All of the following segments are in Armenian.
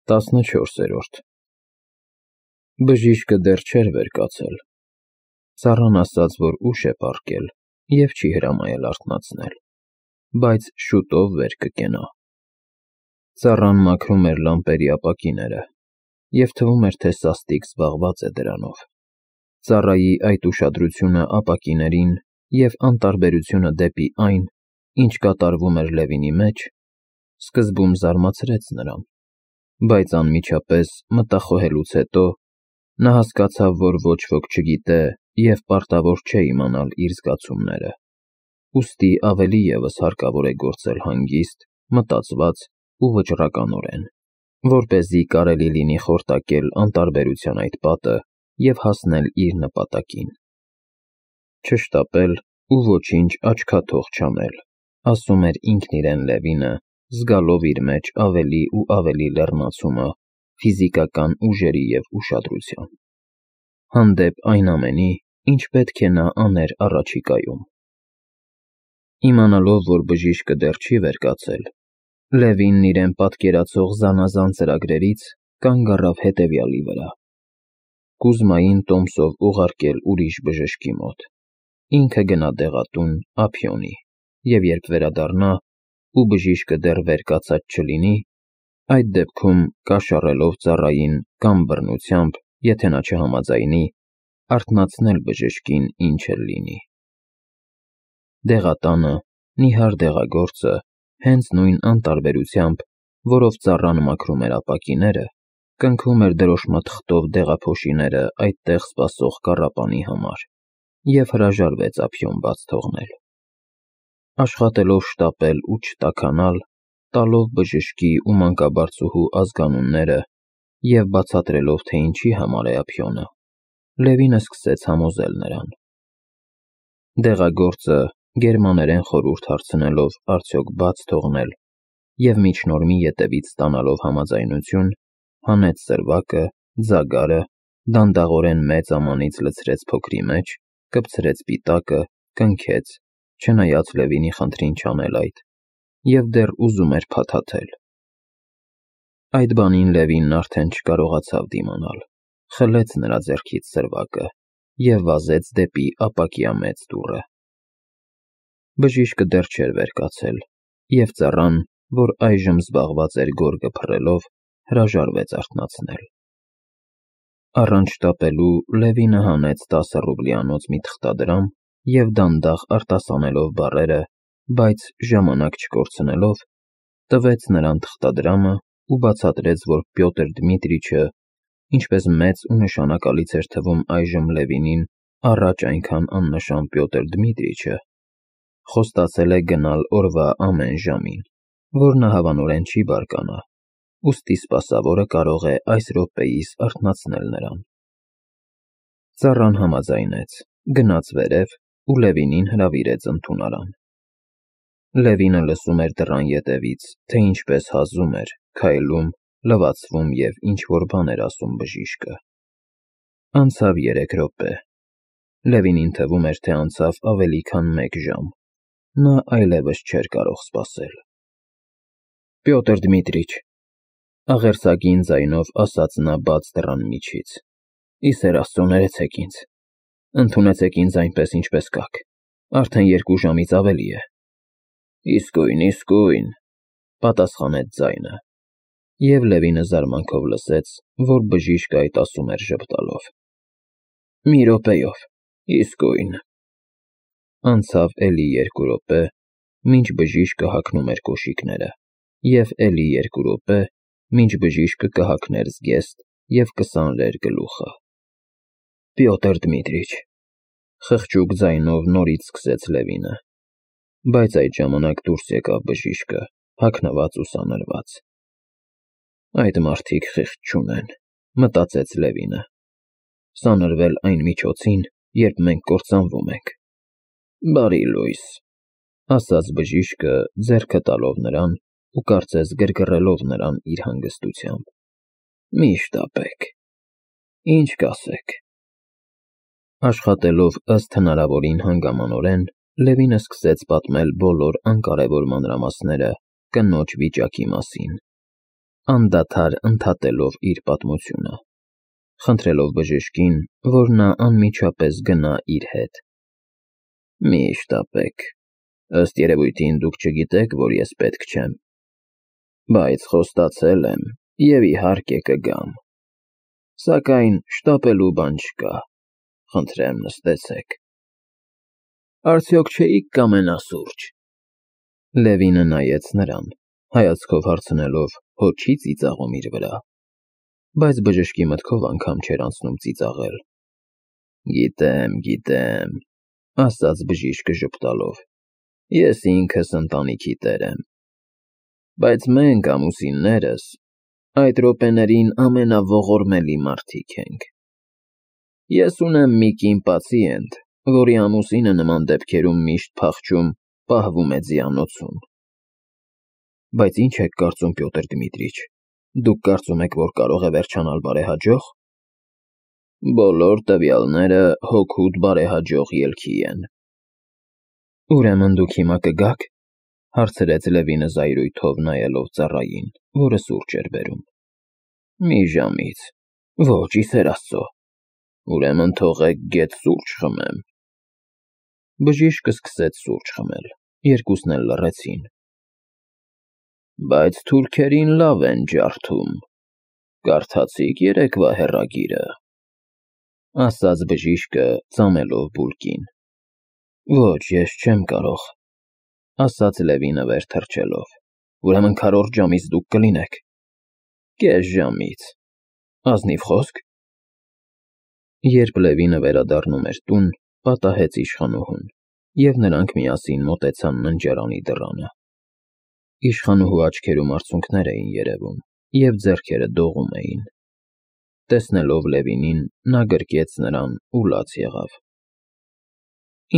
14-րդ Բժիշկը դեռ չէր վեր կացել, ծառան ասաց, որ ուշ է պառկել և չի հրամայել արթնացնել, բայց շուտով վեր կկենա։ Ծառան մաքրում էր լամպերի ապակիները, և թվում էր, թե սաստիկ զբաղված է դրանով։ Ծառայի այդ ուշադրությունը ապակիներին և անտարբերությունը դեպի այն, ինչ կատարվում էր Լևինի մեջ, սկզբում զարմացրեց նրան, բայց անմիջապես մտախոհելուց հետո նա հասկացավ, որ ոչ ոք չգիտե և պարտավոր չէ իմանալ իր զգացումները, ուստի ավելի ևս հարկավոր է գործել հանգիստ, մտածված ու վճռականորեն, որպեսզի կարելի լինի խորտակել անտարբերության այդ պատը և հասնել իր նպատակին։ Չշտապել ու ոչինչ աչքաթող չանել, ասում էր ինքն իրեն Լևինը, զգալով իր մեջ ավելի ու ավելի լեռնացումը ֆիզիկական ուժերի և ուշադրության, հանդեպ այն ամենի, ինչ պետք է նա աներ առաջիկայում։ Իմանալով, որ բժիշկը դեռ չի վեր կացել, Լևինն իրեն պատկերացող զանազան ծրագրերից կանգ առավ հետևյալի վրա. Կուզմային տոմսով ուղարկել ուրիշ բժշկի մոտ, ինքը գնա դեղատուն ափիոնի, և երբ վերադառնա, ու բժիշկը դեռ վեր կացած չլինի, այդ դեպքում կաշառելով ծառային կամ բռնությամբ, եթե նա չհամաձայնի, արթնացնել բժշկին ինչ էլ լինի։ Դեղատանը, նիհար դեղագործը, հենց նույն անտարբերությամբ, որով ծառան մաքրում էր ապակիները, կնքում էր դրոշմաթղթով դեղափոշիները այդտեղ սպասող կառապանի համար և հրաժարվեց ափիոն բաց թողնել։ Աշխատելով շտապել ու չտաքանալ, տալով բժշկի ու մանկաբարձուհու ազգանունները և բացատրելով, թե ինչի համար է ափիոնը, Լևինը սկսեց համոզել նրան։ Դեղագործը, գերմաներեն խորհուրդ հարցնելով արդյոք բաց թողնել և միջնորմի ետևից ստանալով համաձայնություն, հանեց սրվակը, ձագարը, դանդաղորեն մեծ ամանից լցրեց փոքրի մեջ, կպցրեց պիտակը, կնքեց, չնայած Լևինի խնդրին չանել այդ, և դեռ ուզում էր փաթաթել։ Այդ բանին Լևինն արդեն չկարողացավ դիմանալ, խլեց նրա ձեռքից սրվակը և վազեց դեպի ապակիամեծ դուռը։ Բժիշկը դեռ չէր վեր կացել, և ծառան, որ այժմ զբաղված էր գորգը փռելով, հրաժարվեց արթնացնել։ Առանց շտապելու Լևինը հանեց 10 ռուբլիանոց մի թղթադրամ և դանդաղ արտասանելով բառերը, բայց ժամանակ չկորցնելով, տվեց նրան թղթադրամը ու բացատրեց, որ Պյոտր Դմիտրիչը, ինչպես մեծ ու նշանակալից էր թվում այժմ Լևինին առաջ այնքան աննշան Պյոտր Դմիտրիչը, խոստացել է գնալ օրվա ամեն ժամին, որ նա հավանորեն չի բարկանա, ուստի սպասավորը կարող է այս րոպեիս արթնացնել նրան։ Ծառան համաձայնեց, գնաց վերև ու Լևինին հրավիրեց ընդունարան։ Լևինը լսում էր դռան ետևից, թե ինչպես հազում էր, քայլում, լվացվում և ինչ-որ բան էր ասում բժիշկը։ Անցավ 3 րոպե։ Լևինին թվում էր, թե անցավ ավելի քան 1 ժամ։ Նա այլևս չէր կարող սպասել։ Պյոտր Դմիտրիչ, աղերսագին ձայնով ասաց նա բաց դռան միջից, ի սեր Աստծո ներեցեք ինձ, ընդունեցեք ինձ այնպես, ինչպես կաք, արդեն 2 ժամից ավելի է։ Իսկույն, պատասխանեց ձայնը, և Լևինը զարմանքով լսեց, որ բժիշկը այդ ասում էր ժպտալով։ Մի րոպեով, իսկույն։ Անցավ էլի 2 րոպե, մինչ բժիշկը հագնում էր կոշիկները, և էլի 2 րոպե, մինչ բժիշկը կհագներ զգեստ և կսանրեր գլուխը։ Պյոտր Դմիտրիչ, խղճուկ ձայնով նորից սկսեց Լևինը, բայց այդ ժամանակ դուրս եկավ բժիշկը, հագնված ու սանրված։ Այդ մարդիկ խիղճ չունեն, մտածեց Լևինը, սանրվել այն միջոցին, երբ մենք կործանվում ենք։ Բարի լույս, ասաց բժիշկը, ձեռքը տալով նրան ու կարծես գրգռելով նրան իր հանգստությամբ։ Մի շտապեք, ինչ կասեք։ Աշխատելով ըստ հնարավորին հանգամանորեն, Լևինը սկսեց պատմել բոլոր անկարևոր մանրամասները կնոջ վիճակի մասին։ անդադար ընդհատելով իր պատմությունը, խնդրելով բժշկին, որ նա անմիջապես գնա իր հետ։ Մի շտապեք, ըստ երևույթին դուք չգիտեք, որ ես պետք չեմ, բայց խոստացել եմ և իհարկե կգամ, սակայն շտապելու բան չկա, խնդրեմ նստեցեք։ Արդյոք չէիք կամենա սուրճ։ Լևինը նայեց նրան, հայացքով հարցնելով, հո չի ծիծաղում իր վրա, բայց բժշկի մտքով անգամ չէր անցնում ծիծաղել։ Գիտեմ, ասաց բժիշկը ժպտալով, ես ինքս ընտանիքի տեր եմ, բայց մենք ամուսիններս այդ րոպեներին ամենաողորմելի մարդիկ ենք։ Ես ունեմ մի կին պացիենտ, որի ամուսինը նման դեպքերում միշտ փախչում, պահվում է ձիանոցում։ Բայց ինչ եք կարծում, Պյոտր Դմիտրիչ, դուք կարծում եք, որ կարող է վերջանալ բարեհաջող։ Բոլոր տվյալները հօգուտ բարեհաջող ելքի են։ Ուրեմն դուք հիմա կգաք, հարցրեց Լևինը զայրույթով նայելով ծառային, որը սուրճ էր բերում։ Մի ժամից։ Ոչ, ի սեր Աստծո։ Ուրեմն թողեք գեթ սուրճ խմեմ։ Բժիշկը սկսեց սուրճ խմել, երկուսն էլ լռեցին։ Բայց թուրքերին լավ են ջարդում, կարդացիք երեկվա հեռագիրը, ասաց բժիշկը ծամելով բուլկին։ Ոչ, ես չեմ կարող, ասաց Լևինը վեր թռչելով, ուրեմն քառորդ ժամից դուք կլինեք։ Կես ժամից, ազնիվ խոսք։ Երբ Լևինը վերադառնում էր տուն, պատահեց իշխանուհուն, և նրանք միասին մոտեցան ննջարանի դռանը։ Իշխանուհու աչքերում արցունքներ էին երևում, և ձեռքերը դողում էին։ Տեսնելով Լևինին, նա գրկեց նրան ու լաց եղավ։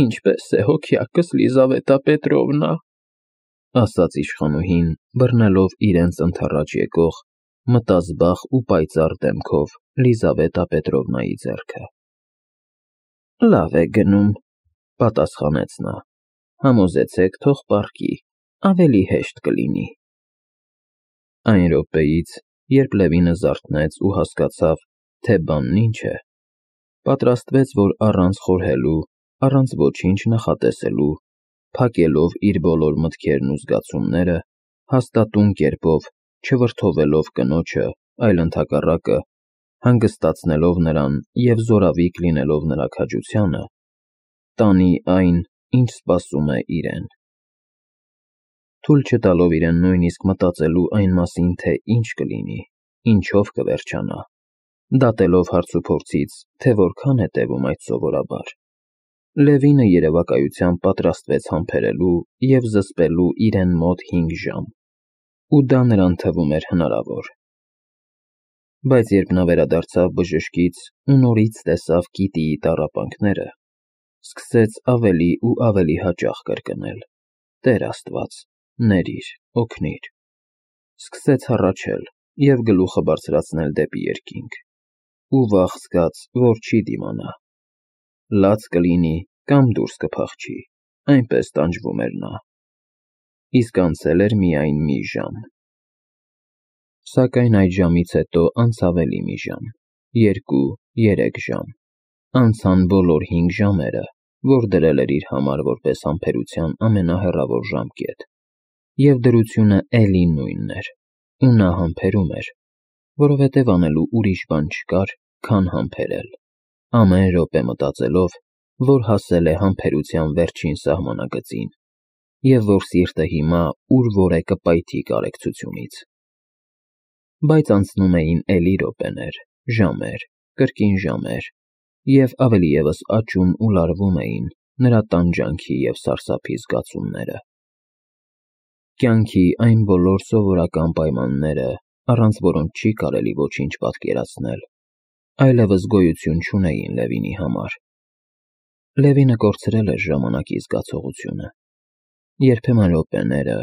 Ինչպե՞ս է հոգյակս, Լիզավետա Պետրովնա, ասաց իշխանուհին, բռնելով իրենց ընդառաջ եկող, մտազբաղ ու պայծառ դեմքով Լիզավետա Պետրովնայի ձեռքը։ Լավ է գնում, պատասխանեց նա, համոզեցեք, թող պառկի, ավելի հեշտ կլինի։ Այն րոպեից, երբ Լևինը զարթնեց ու հասկացավ, թե բանն ինչ է, պատրաստվեց, որ առանց խորհելու, առանց ոչինչ նախատեսելու, փակելով իր բոլոր մտքերն ու զգացումները, հաստատուն կերպով, չվրդովելով կնոջը, այլ ընդհակառակը, հանգստացնելով նրան և զորավիք լինելով նրա քաջությանը, տանի այն, ինչ սպասում է իրեն։ Թույլ չտալով իրեն նույնիսկ մտածելու այն մասին, թե ինչ կլինի, ինչով կվերջանա, դատելով հարցուփորձից, թե որքան է տևում այդ սովորաբար, Լևինը երևակայությամբ պատրաստվեց համբերելու և զսպելու իրեն մոտ 5 ժամ, ու դա նրան թվում էր հնարավոր։ Բայց երբ նա վերադարձավ բժշկից ու նորից տեսավ Կիտիի տառապանքները, սկսեց ավելի ու ավելի հաճախ կրկնել. Տեր Աստված, ներիր, օգնիր։ Սկսեց հառաչել և գլուխը բարձրացնել դեպի երկինք, ու վախ զգաց, որ չի դիմանա։ Լաց կլինի կամ դուրս կփախչի, այնպես տանջվում էր նա։ Իսկ անցել էր միայն մի ժամ։ Սակայն այդ ժամից հետո անցավ էլի մի ժամ, 2-3 ժամ, անցան բոլոր 5 ժամերը, որ դրել էր իր համար որպես համբերության ամենահեռավոր ժամկետ, և դրությունը էլի նույնն էր, ու նա համբերում էր, որովհետև անելու ուրիշ բան չկար, քան համբերել, ամեն րոպե մտածելով, որ հասել է համբերության վերջին սահմանագծին, և որ սիրտը հիմա ուր որ է կպայթի կարեկցությունից։ Բայց անցնում էին էլի րոպեներ, ժամեր, կրկին ժամեր, և ավելի ևս աճում ու լարվում էին նրա տանջանքի և սարսափի զգացումները։ Կյանքի այն բոլոր սովորական պայմանները, առանց որոնց չի կարելի ոչինչ պատկերացնել, այլևս գոյություն չունեին Լևինի համար։ Լևինը կորցրել էր ժամանակի զգացողությունը։ Երբեմն րոպեները,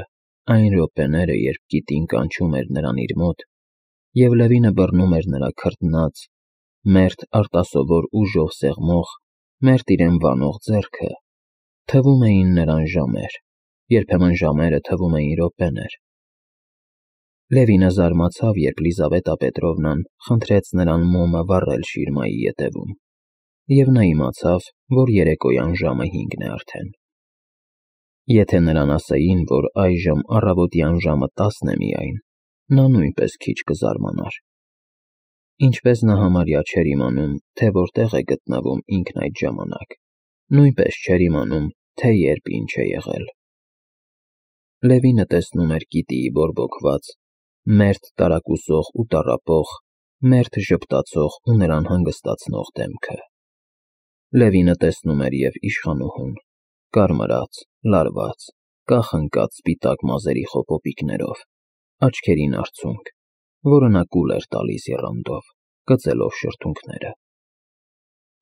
այն րոպեները, երբ Կիտին կանչում էր նրան իր մոտ, և Լևինը բռնում էր նրա քրտնած, մերթ արտասովոր ուժով սեղմող, մերթ իրեն վանող ձեռքը, թվում էին նրան ժամեր, երբեմն ժամերը թվում էին րոպեներ։ Լևինը զարմացավ, երբ Լիզավետա Պետրովնան խնդրեց նրան մոմը վառել շիրմայի ետևում, և նա իմացավ, որ երեկոյան ժամը 5-ն է արդեն։ Եթե նրան ասեին, որ այժմ առավոտյան ժամը 10-ն է միայն, նա նույնպես քիչ կզարմանար։ Ինչպես նա համարյա չէր իմանում, թե որտեղ է գտնվում ինքն այդ ժամանակ, նույնպես չէր իմանում, թե երբ ինչ է եղել։ Լևինը տեսնում էր Կիտիի բորբոքված, մերթ տարակուսող ու տառապող, մերթ ժպտացող ու նրան հանգստացնող դեմքը։ Լևինը տեսնում էր և իշխանուհուն, կարմրած, լարված, կախ-ընկած սպիտակ մազերի խոպոպիկներով, աչքերին արցունք, որը նա կուլ էր տալիս եռանդով, կծելով շրթունքները։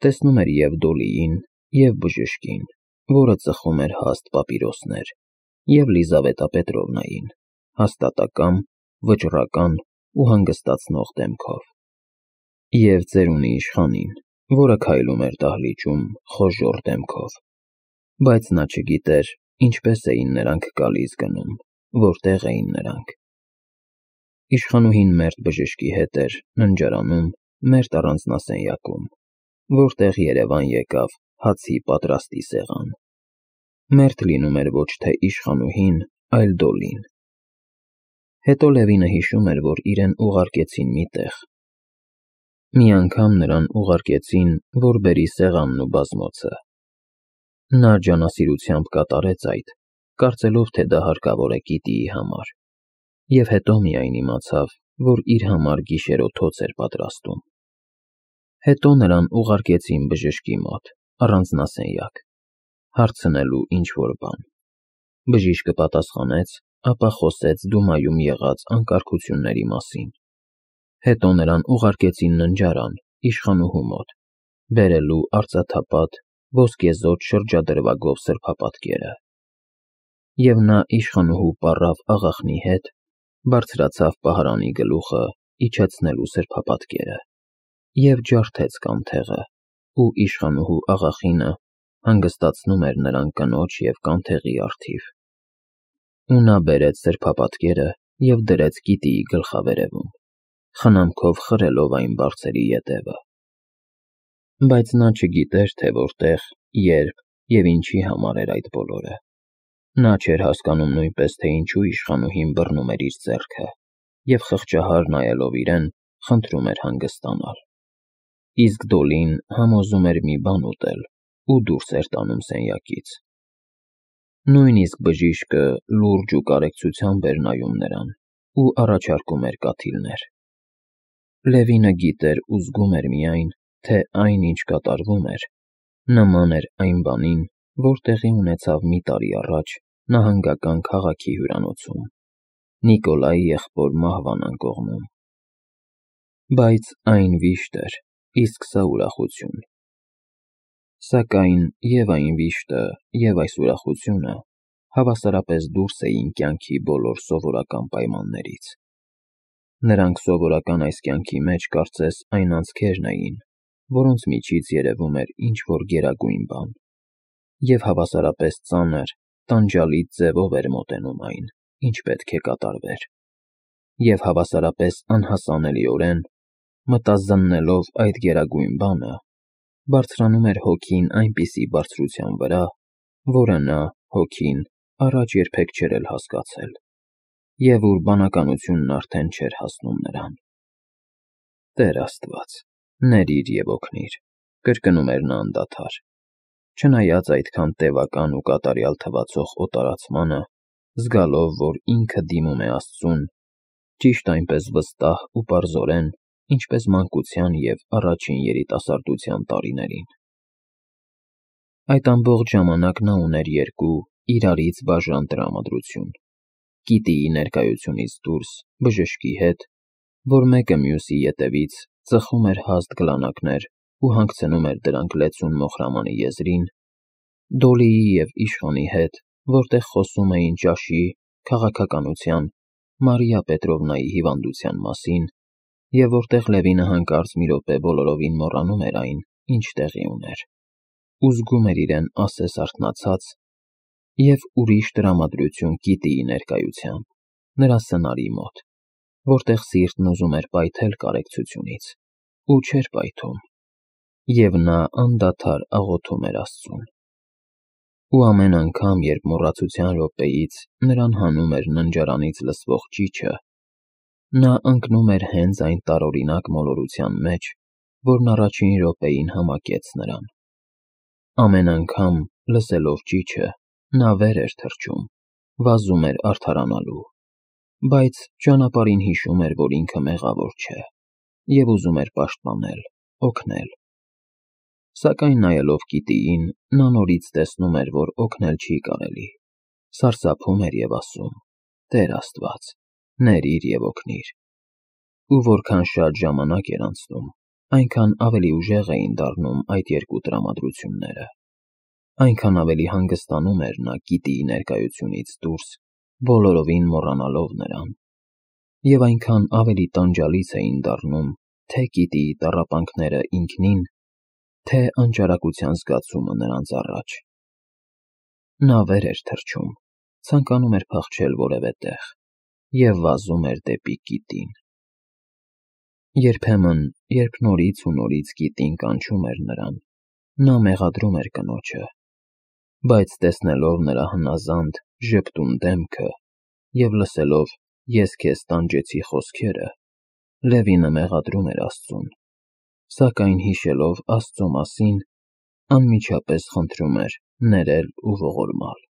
Տեսնում էր և Դոլիին, և բժշկին, որը ծխում էր հաստ պապիրոսներ, և Լիզավետա Պետրովնային, հաստատակամ, վճռական ու հանգստացնող դեմքով, և ծերունի իշխանին, որը քայլում էր դահլիճում խոժոռ դեմքով, բայց նա չգիտեր ինչպես էին նրանք գալիս գնում, որտեղ էին նրանք։ Իշխանուհին մերթ բժշկի հետ էր ննջարանում, մերթ առանձնասենյակում, որտեղ երևան եկավ հացի պատրաստի սեղան։ Մերթ լինում էր ոչ թե իշխանուհին, այլ Դոլին։ Հետո Լևինը հիշում էր, որ իրեն ուղարկեցին մի տեղ։ Մի անգամ նրան ուղարկեցին, որ բերի սեղանն ու բազմոցը։ Նա ջանասիրությամբ կատարեց այդ, կարծելով, թե դա հարկավոր է Կիտիի համար, և հետո միայն իմացավ, որ իր համար գիշերօթոց էր պատրաստում։ Հետո նրան ուղարկեցին բժշկի մոտ, առանձնասենյակ, հարցնելու ինչ-որ բան։ Բժիշկը պատասխանեց, ապա խոսեց Դումայում եղած անկարգությունների մասին։ Հետո նրան ուղարկեցին ննջարան, իշխանուհու մոտ, բերելու արծաթապատ, ոսկեզօծ շրջադրվագով սրբապատկերը։ Եվ նա իշխանուհու պառավ աղախնի հետ բարձրացավ պահարանի գլուխը իջեցնելու սրբապատկերը, և ջարդեց կանթեղը, ու իշխանուհու աղախինը հանգստացնում էր նրան կնոջ և կանթեղի առթիվ։ Ու նա բերեց սրբապատկերը և դրեց Կիտիի գլխավերևում, խնամքով խրելով այն բարձերի ետևը։ Բայց նա չգիտեր, թե որտեղ, երբ և ինչի համար էր այդ բոլորը։ Նա չէր հասկանում նույնպես, թե ինչու իշխանուհին բռնում էր իր ձեռքը և խղճահար նայելով իրեն, խնդրում էր հանգստանալ։ Իսկ Դոլին համոզում էր մի բան ուտել ու դուրս էր տանում սենյակից։ Նույնիսկ բժիշկը լուրջ ու կարեկցությամբ էր նայում նրան ու առաջարկում էր կաթիլներ։ Լևինը գիտեր ու զգում էր միայն, թե այն, ինչ կատարվում էր, նման էր այն բանին, որ տեղի ունեցավ մի տարի առաջ նահանգական քաղաքի հյուրանոցում, Նիկոլայի եղբոր Մահվան կողմում։ Բայց այն վիշտ էր, իսկ սա ուրախություն։ Սակայն և այն վիշտը, և այս ուրախությունը հավասարապես դուրս էին կյանքի բոլոր սովորական պայմաններից։ Նրանք սովորական այս կյանքի մեջ կարծես այն անցքերն էին, որոնց միջից երևում էր ինչ-որ գերագույն բան, և հավասարապես ծանր, տանջալից ձևով էր մոտենում այն, ինչ պետք է կատարվեր, և հավասարապես անհասանելիորեն, մտազննելով այդ գերագույն բանը, բարձրանում էր հոգին այնպիսի բարձրության վրա, որը նա, հոգին, առաջ երբեք չէր էլ հասկացել, և ուր բանականությունն արդեն չէր հասնում նրան։ Տեր Աստված, ների՛ր և օգնիր, կրկնում էր նա անդադար։ Չնայած այդքան տևական ու կատարյալ թվացող օտարացմանը, զգալով, որ ինքը դիմում է Աստծուն, ճիշտ այնպես վստահ ու պարզորեն, ինչպես մանկության և առաջին երիտասարդության տարիներին։ Այդ ամբողջ ժամանակ նա ուներ երկու իրարից բաժան տրամադրություն. Կիտիի ներկայությունից դուրս բժշկի հետ, որ մեկը մյուսի ետևից ծխում էր հաստ գլանակներ ու հանգցնում էր դրանք լեցուն Մոխրամանի եզրին, Դոլիի և իշխանի հետ, որտեղ խոսում էին ճաշի, քաղաքականության, Մարիա Պետրովնայի հիվանդության մասին, և որտեղ Լևինը հանկարծ մի րոպե բոլորովին մոռանում էր այն, ինչ տեղի ուներ, ու զգում էր իրեն ասես արթնացած, և ուրիշ տրամադրություն Կիտիի ներկայությամբ, նրա սնարի մոտ, որտեղ սիրտն ուզում էր պայթել կարեկցությունից, ու չէր պայթում, և նա անդադար աղոթում էր Աստծուն։ Ու ամեն անգամ, երբ մոռացության րոպեից նրան հանում էր ննջարանից լսվող ճիչը, նա ընկնում էր հենց այն տարօրինակ մոլորության մեջ, որն առաջին րոպեին համակեց նրան։ Ամեն անգամ, լսելով ճիչը, նա վեր էր թռչում, վազում էր արդարանալու, բայց ճանապարհին հիշում էր, որ ինքը մեղավոր չէ, և ուզում էր պաշտպանել, օգնել։ Սակայն նայելով գիտիին, նա նորից տեսնում էր, որ օգնել չի կարելի, սարսափում էր և ասում. «Տեր Աստված, ներիր և օգնիր»։ Ու որքան շատ ժամանակ էր անցնում, այնքան ավելի ուժեղ էին դառնում այդ երկու տրամադրությունները, այնքան ավելի հանգստանում էր նա գիտիի ներկայությունից դուրս, բոլորովին մոռանալով նրան, և այնքան ավելի տանջալից էին դառնում թե գիտիի տառապանքները ինքնին, թե անճարակության զգացումը նրանց առաջ։ Նա վեր էր թռչում, ցանկանում էր փախչել որևէ տեղ և վազում էր դեպի գիտին։ Երբեմն, երբ նորից ու նորից գիտին կանչում էր նրան, նա մեղադրում էր կնոջը, բայց տեսնելով նրա հնազանդ, ժպտուն դեմքը և լսելով «Ես քեզ տանջեցի» խոսքերը, Լևինը մեղադրում էր Աստծուն, սակայն հիշելով Աստծո մասին, անմիջապես խնդրում էր ներել ու ողորմալ։